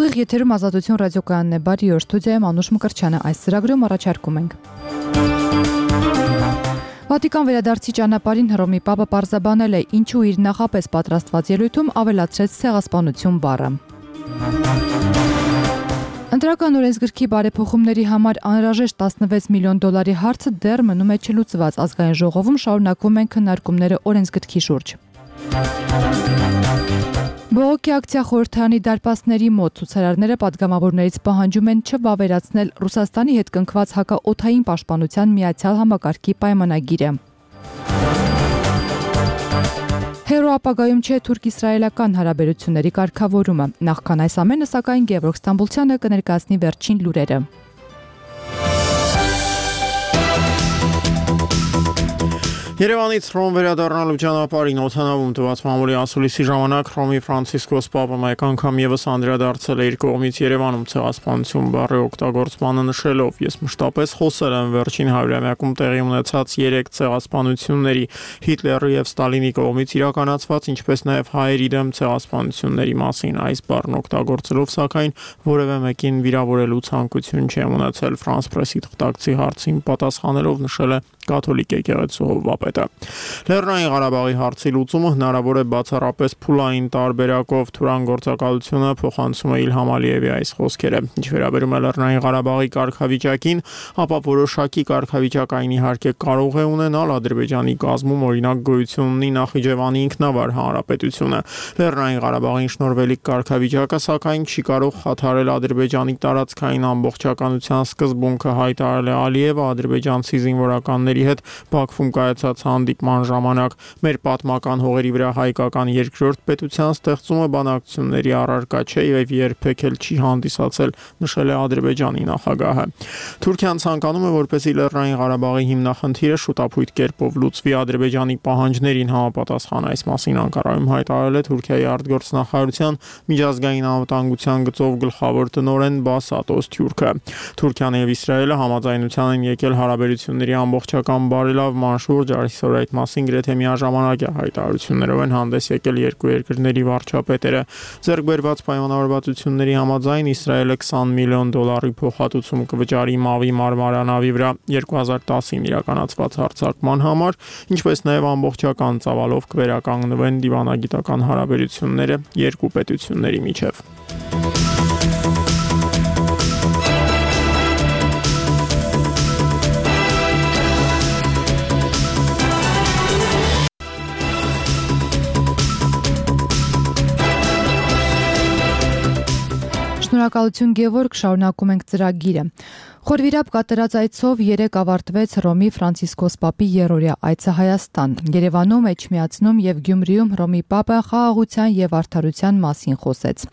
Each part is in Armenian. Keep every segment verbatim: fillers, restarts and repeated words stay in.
Ուղիղ եթերում Ազատություն ռադիոկայանն է, բարի օր, ստուդիայում Անուշ Մկրտչյանը, այս ծրագրում առաջարկում ենք։ Վատիկան վերադարձի ճանապարհին Հռոմի Պապը պարզաբանել է, ինչու իր նախապես պատրաստված ելույթում ավելացրեց ցեղասպանություն բառը։ Ընտրական օրենսգրքի բարեփոխումների համար անհրաժեշտ տասնվեց միլիոն դոլարի հարցը դեռ մնում է չլուծված, ազգային ժողովում շարունակվում են քննարկումները օրենսգրքի շուրջ։ Բողոքի ակցիա խորհրդարանի դարպասների մոտ ցուցարարները պատգամավորներից պահանջում են չվավերացնել Ռուսաստանի հետ կնքված հակաօդային պաշտպանության միացյալ համակարգի պայմանագիրը։ Հերո ապագայում չէ թուրք-իսրայելական հարաբերությունների կարգավորումը։ Նախքան այս ամենը, սակայն Գևորգ Ստամբուլցյանը կներկայացնի վերջին լուրերը։ Երևանից Հռոմ վերադառնալու ճանապարհին օդանավում տված մամուլի ասուլիսի ժամանակ Հռոմի Ֆրանցիսկոս Պապը մեկ անգամ եւս անդրադարձել է իր կողմից Երևանում ցեղասպանություն բառի օգտագործմանը, նշելով. «Ես մշտապես խոսել եմ վերջին հարյուրամյակում տեղի ունեցած երեք ցեղասպանությունների, Հիտլերի եւ Ստալինի կողմից իրականացված, ինչպես նաեւ հայերի դեմ ցեղասպանությունների մասին։ Այս բառն օգտագործելով, սակայն որևէ մեկին վիրավորելու ցանկություն չեմ ունեցել», Ֆրանս Պրեսի թղթակցի հարցին պատասխանելով նշել է կաթոլիկ եկեղեցու հովվապետը։ Լեռնային Ղարաբաղի հարցի լուծումը հնարավոր է բացառապես փուլային տարբերակով, Թուրան գործակալությունը փոխանցում է Իլհամ Ալիևի այս խոսքերը։ Ինչ վերաբերում է Լեռնային Ղարաբաղի կարգավիճակին, ապա որոշակի կարգավիճակ այն իհարկե կարող է ունենալ, Ադրբեջանի կազմում օրինակ գոյություն ունի Նախիջևանի ինքնավար հանրապետությունը։ Լեռնային Ղարաբաղին շնորհվելիք կարգավիճակը, սակայն չի կարող խաթարել Ադրբեջանի տարածքային ամբողջականության սկզբունքը, հայտարարել է Ալիևը ադրբեջանցի զինվորականների հետ Բաքվում կայացած հանդիպման ժամանակ։ Մեր պատմական հողերի վրա հայկական երկրորդ պետության ստեղծումը բանակցությունների առարկա չէ եւ երբեք էլ չի հանդիսացել, նշել է Ադրբեջանի նախագահը։ Թուրքիան ցանկանում է, որպեսզի Լեռնային Ղարաբաղի հիմնախնդիրը շուտապույտ կերպով լուծվի Ադրբեջանի պահանջներին համապատասխան։ Այս մասին Անկարայում հայտարարել է Թուրքիայի արտգործնախարարության միջազգային անվտանգության գծով գլխավոր տնօրեն Բասատոս Թյուրքը։ Թուրքիան եւ Իսրայելը համաձայնության են եկել հարաբերությունների ամբողջական բարելավման շուրջ, այսօր այդ մասին գրեթե միաժամանակ հայտարարություններով են հանդես եկել երկու երկրների վարչապետերը։ Ձեռք բերված պայմանավորվածությունների համաձայն Իսրայելը քսան միլիոն դոլարի փոխհատուցում կվճարի Մավի մարմարանավի վրա երկու հազար տասին իրականացված հարձակման համար, ինչպես նաև ամբողջական ծավալով կվերականգնվեն դիվանագիտական հարաբերությունները երկու պետությունների միջև։ Շնորհակալություն Գևորգ, շարունակում ենք ծրագիրը։ Խորվիրապ կատարած այցով երեկ ավարտվեց Հռոմի Ֆրանցիսկոս Պապի երրորդյա այցը Հայաստան։ Երևանում, Էջմիածնում եւ Գյումրիում Հռոմի Պապը խաղաղության եւ արդարության մասին խոսեց։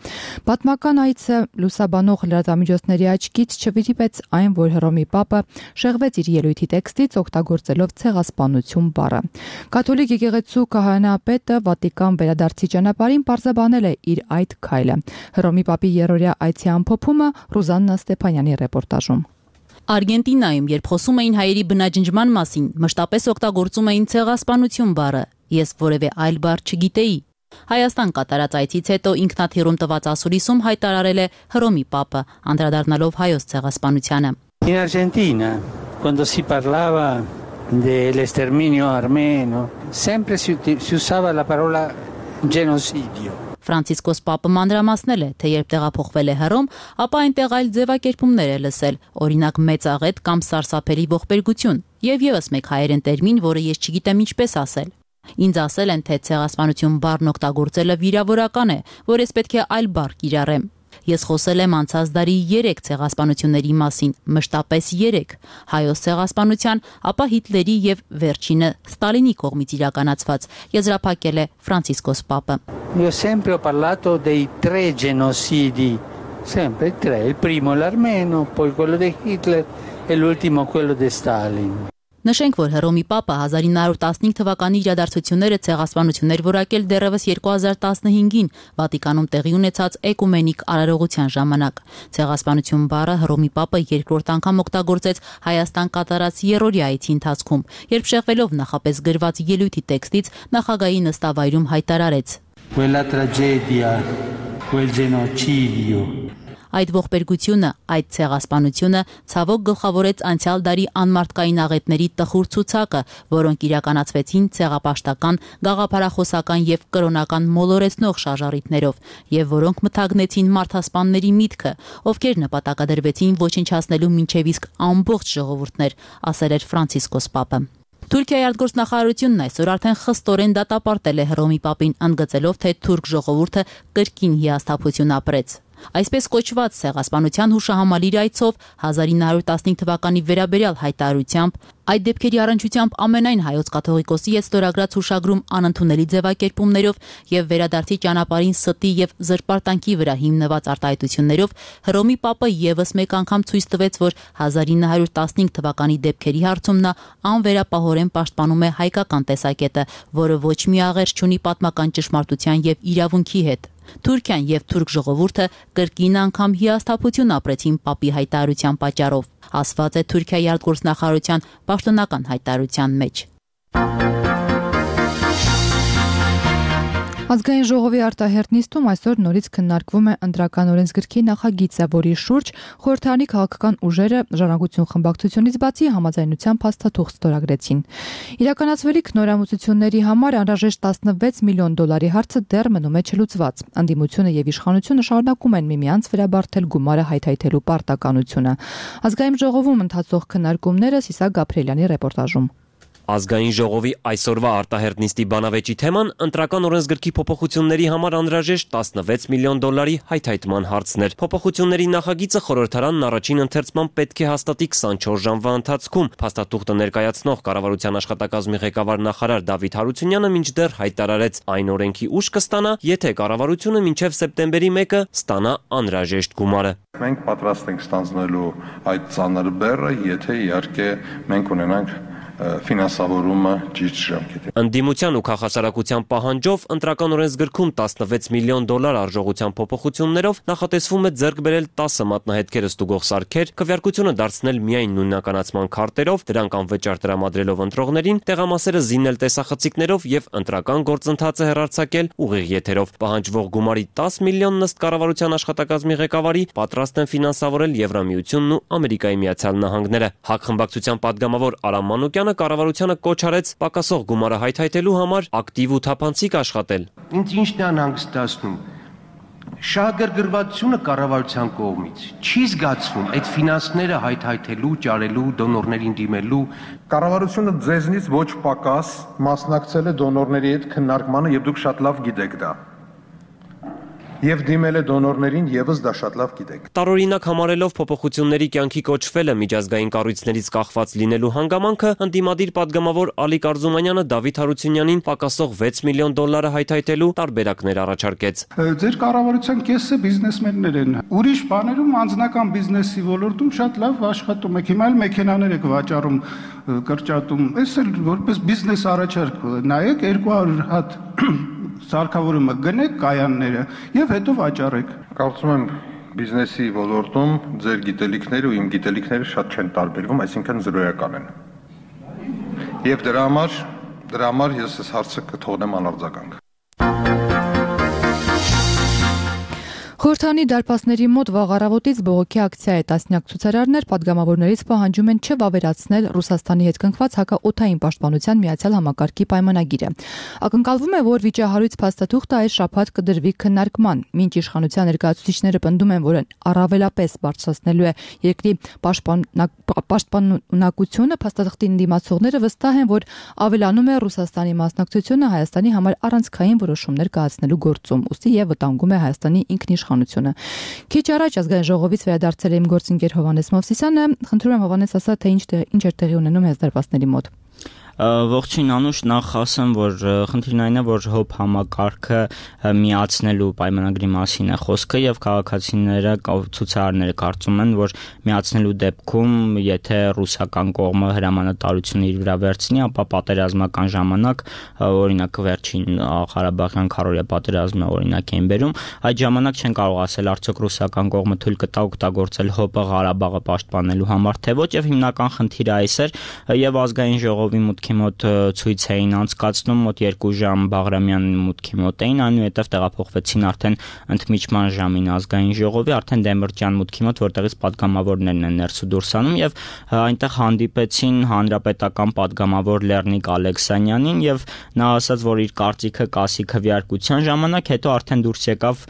Պատմական այցը լուսաբանող լրատվամիջոցների աչքից չվիրիպեց այն, որ Հռոմի Պապը շեղվեց իր ելույթի տեքստից օգտագործելով ցեղասպանություն բառը։ Կաթոլիկ եկեղեցու քահանապետը Վատիկան վերադարձի ճանապարհին պարզաբանել է իր այդ քայլը։ Հռոմի Պապի երրորդյա այցի ամփոփումը Ռուզաննա Ստեփանյանի ռեպորտաժում։ Արգենտինայում, երբ խոսում էին հայերի բնաջնջման մասին, մշտապես օգտագործում էին ցեղասպանություն բառը։ Ես որևէ այլ բառ չգիտեի։ Հայաստան կատարած այցից հետո ինքնաթիռում տված ասուլիսում հայտարարել է Հռոմի Պապը, անդրադառնալով հայոց ցեղասպանությանը։ In Argentina, quando si parlava dell'esterminio armeno, sempre si, si usava la parola genocidio. Ֆրանցիսկոս Պապը մանրամասնել է, թե երբ տեղափոխվել է Հռոմ, ապա այնտեղ այլ ձևակերպումներ է լսել, օրինակ մեծաղետ կամ սարսափելի ողբերգություն, եւ եւս մեկ հայերեն տերմին, որը ես չգիտեմ ինչպես ասել։ Ինձ ասել են, թե ցեղասպանություն բառն օգտագործելը վիրավորական է, որ ես պետք է այլ բառ կիրառեմ։ Ես խոսել եմ անցած դարի երեք ցեղասպանությունների մասին, մշտապես երեք, հայոց ցեղասպանության, ապա Հիտլերի եւ վերջինը Ստալինի կողմից իրականացված, եզրափակել է Ֆրանցիսկոս Պապը։ Io sempre ho parlato dei tre genocidi, sempre tre, il primo l'armeno, poi quello di Hitler e l'ultimo quello di Stalin. Նշենք, որ Հռոմի Պապը հազար ինը հարյուր տասնհինգ թվականի իրադարձությունները ցեղասպանություններ որակել դեռևս երկու հազար տասնհինգին Վատիկանում տեղի ունեցած էկումենիկ արարողության ժամանակ։ Ցեղասպանություն բառը Հռոմի Պապը երկրորդ անգամ օգտագործեց Հայաստան կատարած երրորդյա այցի ընթացքում, երբ շեղվելով նախապես գրված ելույթի տեքստից նախագահի նստավայրում հայտարարեց. Quella tragedia, quel genocidio Այդ ողբերգությունը, այդ ցեղասպանությունը ցավոք գլխավորեց անցյալ դարի անմարդկային աղետների տխուր ցուցակը, որոնք իրականացվեցին ցեղապաշտական, գաղափարախոսական եւ կրոնական մոլորեցնող շարժառիթներով, եւ որոնք մթագնեցին մարդասպանների միտքը, ովքեր նպատակադրվեցին ոչնչացնելու մինչև իսկ ամբողջ ժողովուրդներ, ասել էր Ֆրանցիսկոս Պապը։ Թուրքիայի արտգործնախարարությունն այսօր արդեն խստորեն դատապարտել է Հռոմի Պապին, ընդգծելով, թե թուրք ժողովուրդը կրկին հիասթափություն ապրեց։ Այսպես կոչված ցեղասպանության հուշահամալիր այցով հազար ինը հարյուր տասնհինգ թվականի վերաբերյալ հայտարարությամբ այդ դեպքերի առնչությամբ ամենայն հայոց կաթողիկոսի հետ ստորագրած հուշագրում անընդունելի ձևակերպումներով եւ վերադարձի ճանապարհին ստի եւ զրպարտանքի վրա հիմնված արտահայտություններով Հռոմի Պապը եւս մեկ անգամ ցույց տվեց, որ հազար ինը հարյուր տասնհինգ թվականի դեպքերի հարցում նա անվերապահորեն պաշտպանում է հայկական տեսակետը, որը ոչ մի աղերս չունի պատմական ճշմարտության եւ իրավունքի հետ։ Թուրքիան եւ թուրք ժողովուրդը կրկին անգամ հիասթափություն ապրեցին Պապի հայտարարության պատճառով, ասված է Թուրքիայի արտգործնախարարության պաշտոնական հայտարարության մեջ։ Ազգային ժողովի արտահերթ նիստում այսօր նորից քննարկվում է ընտրական օրենսգրքի նախագիծը, որի շուրջ խորհրդարանի քաղաքական ուժերը ժառանգություն խմբակցությունից բացի համաձայնության փաստաթուղթ ստորագրեցին։ Իրականացվելիք նորամուծությունների համար անհրաժեշտ տասնվեց միլիոն դոլարի հարցը դեռ մնում է չլուծված։ Անդիմությունը եւ իշխանությունը շարունակում են միմյանց վրա բարթել գումարը հայթայթելու պարտականությունը։ Ազգային ժողովում ընթացող քննարկումները Սիսակ Գաբրիելյանի ռեպորտաժում։ Ազգային ժողովի այսօրվա արտահերթ նիստի բանավեճի թեման ընտրական օրենսգրքի փոփոխությունների համար անհրաժեշտ տասնվեց միլիոն դոլարի հայթայթման հարցն էր։ Փոփոխությունների նախագիծը խորհրդարանն առաջին ընթերցման պետք է հաստատի քսանչորս ժամվա ընթացքում։ Փաստաթուղթը ներկայացնող կառավարության աշխատակազմի ղեկավար նախարար Դավիթ Հարությունյանը մինչդեռ հայտարարեց, այն օրենքի ուժ կստանա, եթե կառավարությունը մինչև սեպտեմբերի մեկը ստանա անհրաժեշտ գումարը։ Մենք պատրաստ ենք ստանձնելու այդ ծանր բեռը, եթե իհարկե մենք ունենանք ֆինանսավորումը ճիշտ ժամկետին։ Ընդդիմության ու քաղաքասարակության պահանջով ընտրական օրենսգրքում տասնվեց միլիոն դոլար արժողության փոփոխություններով նախատեսվում է ձեռք բերել տասը մատնահետքերը ստուգող սարքեր, քվեարկությունը դարձնել միայն նույնականացման քարտերով, դրանք անվճար տրամադրելով ընտրողներին, տեղամասերը զինել տեսախցիկներով եւ ընտրական գործընթացը հեռարձակել ուղիղ եթերով։ Պահանջվող գումարի տասը միլիոնն ըստ կառավարության աշխատակազմի ղեկավարի պատրաստ են ֆինանսավորել Եվրամիությունն ու Ամերիկայի Միացյալ Նահանգները։ ՀԱԿ խմբակցության падգամավոր Արամ Մանուկյանը կառավարությանը կոչ արեց պակասող գումարը հայթայթելու համար ակտիվ ու թափանցիկ աշխատել։ Ինձ ինչն է անհանգստացնում։ Շահագրգռվածությունը կառավարության կողմից չի զգացվում այդ ֆինանսները հայթայթելու, ճարելու, դոնորներին դիմելու։ Կառավարությունը ձեզնից ոչ պակաս մասնակցել է դոնորների հետ քննարկմանը եւ դուք շատ լավ գիտեք դա։ Եվ դիմել է դոնորներին եւս դա շատ լավ գիտեք։ Տարօրինակ համարելով փոփոխությունների կյանքի կոչվելը միջազգային կառույցներից կախված լինելու հանգամանքը, ընդդիմադիր падգամավոր Ալիկ Արզումանյանը Դավիթ Հարությունյանին պակասող վեց միլիոն դոլարը հայթայթելու տարբերակներ առաջարկեց։ Ձեր կառավարության կեսը բիզնեսմեններ են։ Ուրիշ բաներում անձնական բիզնեսի ոլորտում շատ լավ աշխատում եք։ Հիմա էլ մեքենաներ եք վաճառում, կրճատում։ Էս էլ որպես բիզնես առաջարկ նայեք երկու հարյուր հատ սարքավորումը գնեք կայանները եւ հետո վաճառեք։ Կարծում եմ բիզնեսի ոլորտում ձեր գիտելիքները ու իմ գիտելիքները շատ չեն տարբերվում, այսինքն զրոյական են։ Եվ դրա համար դրա համար ես այս հարցը կթողնեմ անարձագանք։ Խորհրդարանի դարպասների մոտ վաղ առավոտից բողոքի ակցիա է տասնյակ ցուցարարներ падգամավորներից պահանջում են չվավերացնել Ռուսաստանի հետ կնքված հակաօդային պաշտպանության միացյալ համակարգի պայմանագիրը։ Ակնկալվում է, որ վիճահարույց փաստաթուղթը այս շաբաթ կդրվի քննարկման, մինչ իշխանության ներկայացուցիչները պնդում են, որ առավելապես բարձրացնելու է երկրի պաշտպանունակությունը, փաստաթղթի դիմացողները վստահ են, որ ավելանում է Ռուսաստանի մասնակցությունը Հայաստանի համար առանցքային որոշումներ կայացնելու գործում, ուստի եւ վտանգում է Հայաստանի ինքնիշխանությունը։ Քիչ առաջ ազգային ժողովից վերադարձել է իմ գործընկեր Հովհաննես Մովսիսյանը, խնդրում եմ Հովհաննես ասա, թե ինչ ինչ էր տեղի ունենում հեզդարպասների մոտ։ Ողջույն Անուշ, նախ ասեմ, որ խնդիրն այն է, որ հոբ համակարգը միացնելու պայմանագրի մասին է խոսքը եւ քաղաքացիները ցուցարարները կարծում են, որ միացնելու դեպքում, եթե ռուսական կողմը հրամանատարությունը իր վրա վերցնի, ապա պատերազմական ժամանակ, օրինակ վերջին Ղարաբաղյան քարորիա պատերազմը օրինակ են բերում, այդ ժամանակ չեն կարող ասել արդյոք ռուսական կողմը թույլ կտա օգտագործել հոբը Ղարաբաղը պաշտպանելու համար, թե ոչ, եւ հիմնական խնդիրը այս էր եւ ազգային ժողովի մուտքի մուտքի մոտ ցույց էին անցկացնում, մոտ երկու ժամ Բաղրամյանի մուտքի մոտ էին, այնուհետև տեղափոխվեցին արդեն ընդմիջման ժամին ազգային ժողովի, արդեն Դեմիրճյան մուտքի մոտ, որտեղից պատգամավորներն են ներս ու դուրս անում եւ այնտեղ հանդիպեցին հանրապետական պատգամավոր Լեռնիկ Ալեքսանյանին եւ նա ասաց, որ իր կարծիքը կասի քվեարկության ժամանակ, հետո արդեն դուրս եկավ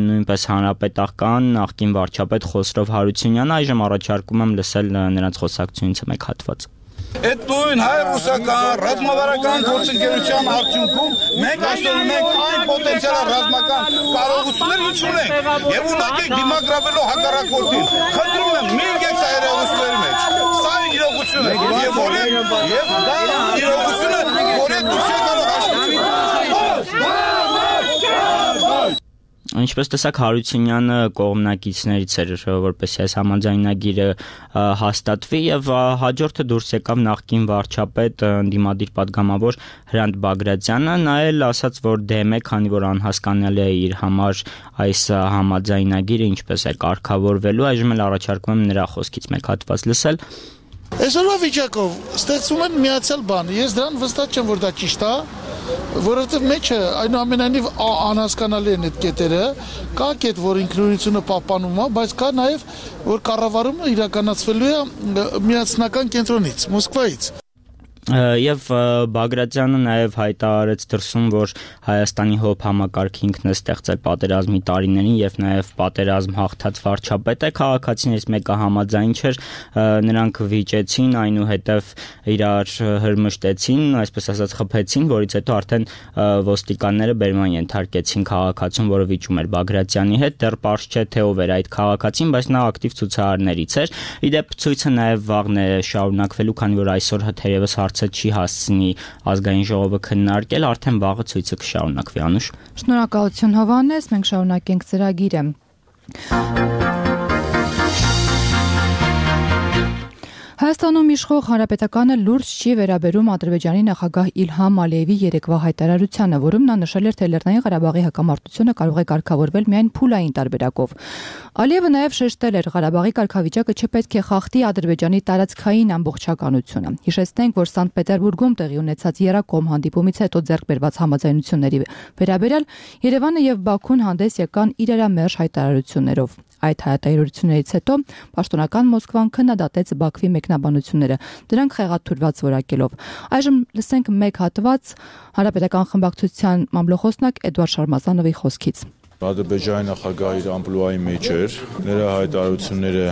նույնպես հանրապետական նախկին վարչապետ Խոսրով Հարությունյանը, այժմ առաջարկում եմ լսել նրանց խոսակցությունից մեկ հատված։ Այդ նույն հայ-ռուսական ռազմավարական գործընկերության արդյունքում մենք այսօր ունենք այն պոտենցիալ ռազմական կարողություններ, ինչ ունենք, եւ ունակենք դիմագրավելով հակառակորդին։ Խնդրում եմ, մի եկեք սա երևույթների մեջ։ Սա իրողություն է, եւ որը եւ դա իրողությունը, որը դուրս է գալու հաշվի։ Ինչպես տեսակ Հարությունյանը կողմնակիցներից էր, որպեսզի այս համաձայնագիրը հաստատվի եւ հաջորդը դուրս եկավ նախկին վարչապետ ընդդիմադիր պատգամավոր Հրանտ Բագրատյանը, նա էլ ասաց, որ դեմ է, քանի որ անհասկանալի է իր համար այս համաձայնագիրը ինչպես է կարգավորվելու, այժմ էլ առաջարկում եմ նրա խոսքից մեկ հատված լսել։ Այսօրվա վիճակով ստեղծում են միացյալ բան, ես դրան վստահ չեմ, որ դա ճիշտ է, որովհետև մեջը այնուամենայնիվ անհասկանալի են այդ կետերը, կա կետ, որ ինքնուրույնությունը պահպանում է, բայց կա նաև, որ կառավարումը իրականացվելու է միասնական կենտրոնից, Մոսկվայից։ Եվ Բագրատյանը նաև հայտարարեց դրսում, որ Հայաստանի հոբ համակարգը ինքն է ստեղծել պատերազմի տարիներին եւ նաև պատերազմ հաղթած վարչապետ է, քաղաքացիներից մեկը համաձայն չէր, նրանք վիճեցին, այնուհետև իրար հրմշտեցին, այսպես ասած խփեցին, որից հետո արդեն ոստիկանները բերման ենթարկեցին քաղաքացուն, որը վիճում էր Բագրատյանի հետ, դեռ պարզ չէ թե ով էր այդ քաղաքացին, բայց նա ակտիվ ցուցարարներից էր։ Իդեպ ցույցը նաև վաղն է շարունակվելու, քանի որ այսօր թերևս չի հասցնի ազգային ժողովը քննարկել, արդեն վաղը ցույցը կշարունակվի, Անուշ։ Շնորհակալություն Հովհաննես, մենք շարունակենք ծրագիրը։ Հայաստանում իշխող հանրապետականը լուրջ չի վերաբերում Ադրբեջանի նախագահ Իլհամ Ալիևի երեկվա հայտարարությանը, որում նա նշել էր, թե Լեռնային Ղարաբաղի հակամարտությունը կարող է կարգավորվել միայն փուլային տարբերակով։ Ալիևը նաև շեշտել էր, Ղարաբաղի կարգավիճակը չպետք է խախտի Ադրբեջանի տարածքային ամբողջականությունը։ Հիշեցնենք, որ Սանկտ Պետերբուրգում տեղի ունեցած Երակոմ հանդիպումից հետո ձեռք բերված համաձայնությունների վերաբերյալ Երևանը եւ Բաքուն հանդես եկան իրարամերժ հայտարարություններով։ Այդ հայտարարություններից հետո պաշտոնական Մոսկվան քննադատեց Բաքվի մեկնաբանությունները, դրանք խեղաթյուրված որակելով։ Այժմ լսենք մեկ հատված հանրապետական խմբակցության մամլոխոսնակ Էդուարդ Շարմազանովի խոսքից։ Ադրբեջանի նախագահի իր ամպլուայի մեջ էր, նրա հայտարարությունները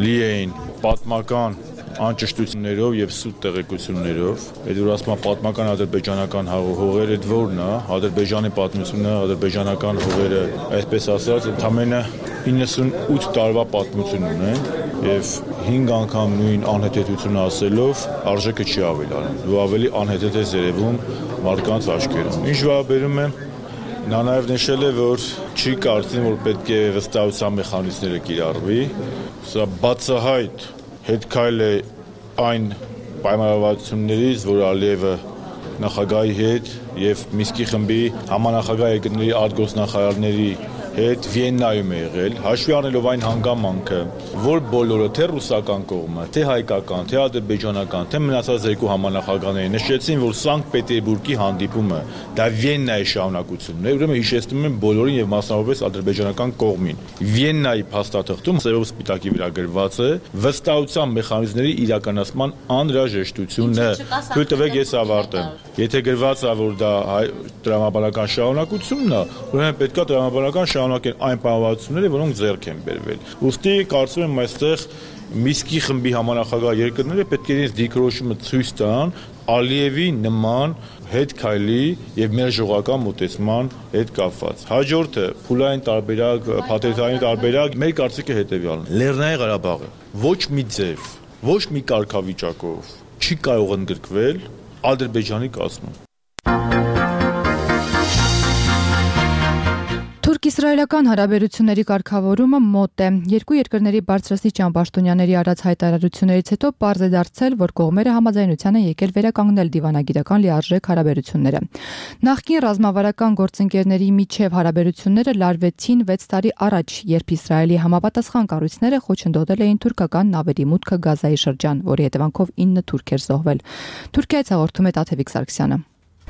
լի էին պատմական անճշտություններով եւ սուտ տեղեկություններով։ Այդ որ ասում են պատմական ադրբեջանական հողերը դորն է, Ադրբեջանի պատմությունը, ադրբեջանական հողերը, այսպես ասած, ընդամենը իննսունութ տարվա պատմություն ունեն եւ հինգ անգամ նույն անհետեթությունը ասելով արժեքը չի ավելանում։ Դու ավելի անհետեթ ես երևում մարդկանց աչքերում։ Ինչ վերաբերում է Նա նաև նշել է, որ չի կարծում, որ պետք է վստահության մեխանիզմները կիրառվի։ Սա բացահայտ հետքայլ է այն պայմանավորվածություններից, որ Ալիևը նախագահի հետ եւ Միսկի խմբի համանախագահ երկրների արտգործնախարարների հետ Վիեննայում է եղել, հաշվի առնելով այն հանգամանքը, որ բոլորը թե ռուսական կողմը, թե հայկական, թե ադրբեջանական, թե մնացած երկու համանախագահները նշեցին, որ Սանկտ Պետերբուրգի հանդիպումը դա Վիեննայի շարունակությունն է, ուրեմն հիշեցնում են բոլորին եւ մասնավորապես ադրբեջանական կողմին։ Վիեննայի փաստաթղթում ծերով սպիտակի վրա գրված է վստահության մեխանիզմների իրականացման անհրաժեշտությունը։ Թույլ տվեք ես ավարտեմ։ Եթե գրված է, որ դա տրամաբանական շարունակությունն է, ուրեմն պետք է տրամաբանական շարունակեն այն պայմանավորվածությունները, որոնք ձեռք են բերվել։ Ուստի կարծում եմ այստեղ Միսկի խմբի համանախագահ երկրները պետք է իրենց դիրքորոշումը ցույց տան Ալիևի նման հետ քայլի եւ մեր ժողովրդական մոտեցման հետ կապված։ Հաջորդը փուլային տարբերակ, փաթեթային տարբերակ, մեր կարծիքը հետեւյալն է։ Լեռնային Ղարաբաղը ոչ մի ձև, ոչ մի կարգավիճակով չի կարող ընդգրկվել Ադրբեջանի կազմում։ Թուրք-իսրայելական հարաբերությունների կարգավորումը մոտ է։ Երկու երկրների բարձրաստիճան պաշտոնյաների արած հայտարարություններից հետո պարզ է դարձել, որ կողմերը համաձայնության են եկել վերականգնել դիվանագիտական լիարժեք հարաբերությունները։ Նախկին ռազմավարական գործընկերների միջև հարաբերությունները լարվեցին վեց տարի առաջ, երբ Իսրայելի համապատասխան կառույցները խոչընդոտել էին թուրքական նավերի մուտքը Գազայի շրջան, որի հետևանքով ինը թուրք էր զոհվել։ Թուրքիայից հաղորդում է Տաթևիկ Սարգսյանը։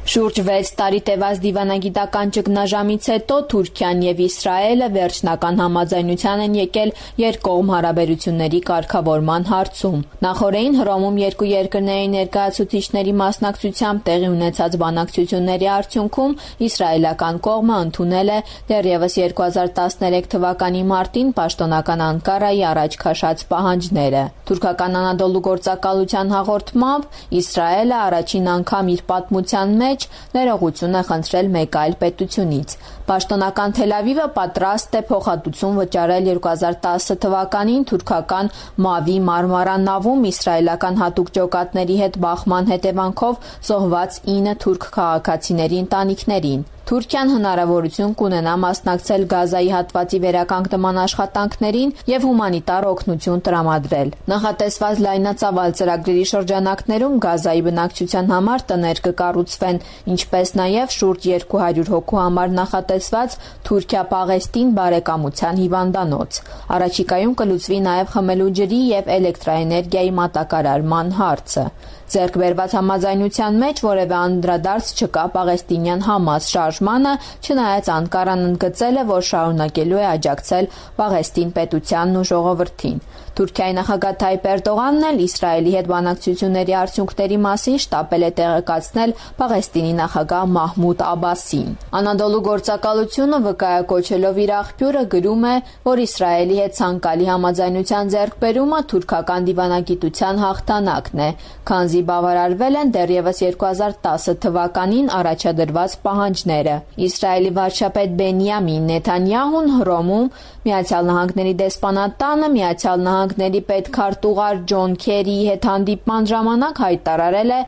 Շուրջ վեց տարի տևած դիվանագիտական ճգնաժամից հետո Թուրքիան եւ Իսրայելը վերջնական համաձայնության են եկել երկկողմ հարաբերությունների կարգավորման հարցում։ Նախորդին Հռոմում երկու երկրների ներկայացուցիչների մասնակցությամբ տեղի ունեցած բանակցությունների արդյունքում իսրայելական կողմը ընդունել է դեռևս երկու հազար տասներեք թվականի մարտին պաշտոնական Անկարայի առաջ քաշած պահանջները։ Թուրքական Անադոլու գործակալության հաղորդմամբ Իսրայելը առաջին անգամ իր պատմության մեջ ներողություն է խնդրել մեկ այլ պետությունից։ Պաշտոնական Թել Ավիվը պատրաստ է փոխհատուցում վճարել երկու հազար տասը թվականին թուրքական Մավի Մարմարա նավում իսրայելական հատուկ ջոկատների հետ բախման հետևանքով զոհված ինը թուրք քաղաքացիների ընտանիքներին։ Թուրքիան հնարավորություն կունենա մասնակցել Գազայի հատվածի վերականգնման աշխատանքներին եւ հումանիտար օգնություն տրամադրել։ Նախատեսված լայնածավալ ծրագրերի շրջանակներում Գազայի բնակչության համար տներ կկառուցվեն, ինչպես նաեւ շուրջ երկու հարյուր հոգու համար նախատեսված Թուրքիա-Պաղեստին բարեկամության հիվանդանոց։ Առաջիկայում կլուծվի նաեւ խմելու ջրի եւ էլեկտրաէներգիայի մատակարարման հարցը։ Ձեռք բերված համաձայնության մեջ որևէ անդրադարձ չկա պաղեստինյան Համաս շարժմանը, չնայած Անկարան ընդգծել է, որ շարունակելու է աջակցել Պաղեստին պետությանն ու ժողովրդին։ Թուրքիայի նախագահ Թայիպ Էրդողանն էլ Իսրայելի հետ բանակցությունների արդյունքների մասին շտապել է տեղեկացնել Պաղեստինի նախագահ Մահմուդ Աբասին։ Անադոլու գործակալությունը վկայակոչելով իր աղբյուրը գրում է, որ Իսրայելի հետ ցանկալի համաձայնության ձեռքբերումը թուրքական դիվանագիտության հաղթանակն է, քանզի բավարարվել են դեռևս երկու հազար տասը թվականին առաջադրված պահանջները։ Իսրայելի վարչապետ Բենյամին Նեթանյահուն Հռոմում Միացյալ Նահանգների դեսպանատանը Միացյալ Նահանգների պետքարտուղար Ջոն Քերիի հետ հանդիպման ժամանակ հայտարարել է,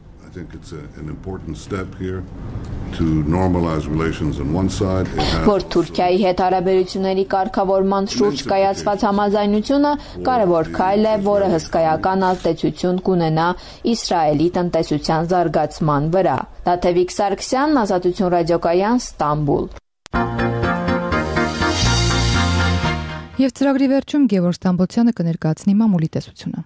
որ Թուրքիայի հետ հարաբերությունների կարգավորման շուրջ կայացված համաձայնությունը կարևոր քայլ է, որը հսկայական ազդեցություն կունենա Իսրայելի տնտեսության զարգացման վրա։ Տաթևիկ Սարգսյան, Ազատություն ռադիոկայան, Ստամբուլ։ Եվ ծրագրի վերջում Գևորգ Ստամբոլցյանը կներկայացնի մամուլի տեսությունը։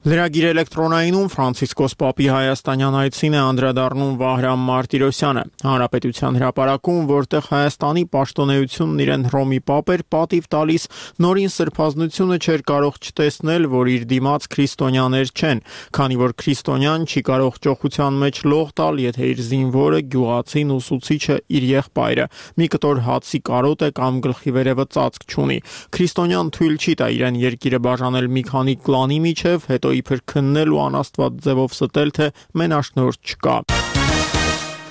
Լրագիր էլեկտրոնայինում Ֆրանցիսկոս Պապի հայաստանյան այցին է անդրադառնում Վահրամ Մարտիրոսյանը։ Հանրապետության հրապարակում, որտեղ Հայաստանի պաշտոնեությունն իրեն Հռոմի Պապ էր պատիվ տալիս, նորին սրբազնությունը չէր կարող չտեսնել, որ իր դիմաց քրիստոնյաներ չեն, քանի որ քրիստոնյան չի կարող ճոխության մեջ լող տալ, եթե իր զինվորը, գյուղացին, ուսուցիչը իր եղբայրը մի կտոր հացի կարոտ է կամ գլխի վերևը ծածկ չունի։ Քրիստոնյան թույլ չի տա իրեն երկիրը բաժանել մի քանի կլանի միջև, հետո իբր քննել ու անաստված ձևով ստել, թե մենաշնորհ չկա։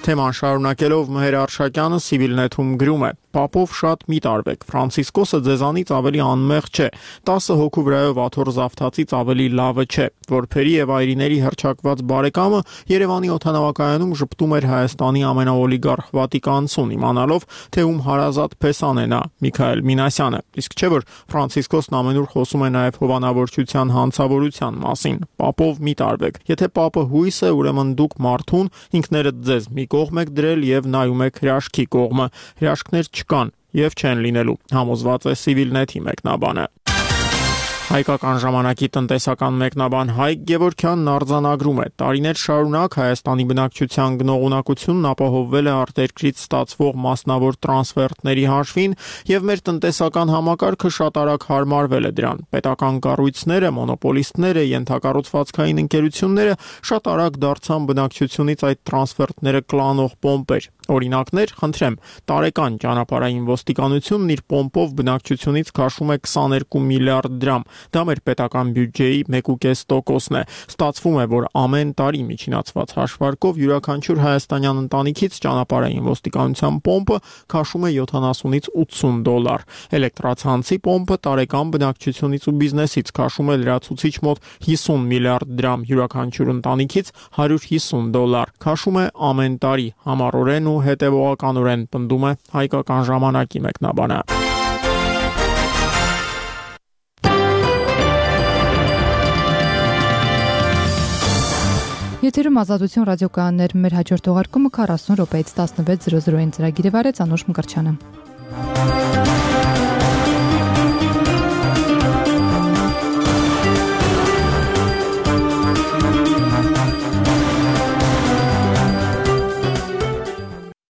Թեման շարունակելով Մհեր Արշակյանը Civilnet-ում գրում է. Պապով շատ մի տարվեք, Ֆրանցիսկոսը ձեզանից ավելի անմեղ չէ, տասը հոգու վրայով աթոռ զավթածից ավելի լավը չէ, որբերի եւ այրիների հռչակված բարեկամը Երևանի օդանավակայանում ժպտում էր Հայաստանի ամենաօլիգարխ Վատիկանցուն, իմանալով, թե ում հարազատ փեսան է նա, Միքայել Մինասյանը, իսկ չէ որ Ֆրանցիսկոսն ամենուր խոսում է նաեւ հովանավորչության հանցավորության մասին, Պապով մի տարվեք, եթե Պապը հույս է, ուրեմն դուք մարդուն, ինքներդ ձեզ մի կողմ եք դրել եւ նայում եք հրաշքի կողմը, հրաշքներ չկան եւ չեն լինելու, համոզված է Civilnet-ի մեկնաբանը։ Հայկական ժամանակի տնտեսական մեկնաբան Հայկ Գևորգյանն արձանագրում է. տարիներ շարունակ Հայաստանի բնակչության գնողունակությունն ապահովվել է արտերկրից ստացվող մասնավոր տրանսֆերտների հաշվին եւ մեր տնտեսական համակարգը շատ արագ հարմարվել է դրան։ Պետական կառույցները, մոնոպոլիստները, ենթակառուցվածքային ընկերությունները շատ արագ դարձան բնակչությունից այդ տրանսֆերտները կլանող պոմպեր։ Օրինակներ, խնդրեմ, տարեկան ճանապարհային ոստիկանությունն իր պոմպով բնակչությունից քաշում է քսաներկու միլիարդ դրամ, Դա մեր պետական բյուջեի մեկ կoma պենս տոկոսն է։ Ստացվում է, որ ամեն տարի միջինացված հաշվարկով յուրաքանչյուր հայաստանյան ընտանիքից ճանապարհային ոստիկանության պոմպը քաշում է յոթանասունից ութսուն դոլար։ Էլեկտրացանցի պոմպը տարեկան բնակչությունից ու բիզնեսից քաշում է լրացուցիչ մոտ հիսուն միլիարդ դրամ, յուրաքանչյուր ընտանիքից հարյուր հիսուն դոլար։ Քաշում է ամեն տարի, համառորեն ու հետևողականորեն, պնդում է Հայկական ժամանակի մեկնաբանը։ Եթերում Ազատություն ռադիոկայաններ, մեր հաջորդ թողարկումը քառասուն րոպեից տասնվեց զրո զրոյին ծրագիրը վարեց Անուշ Մկրտչյանը։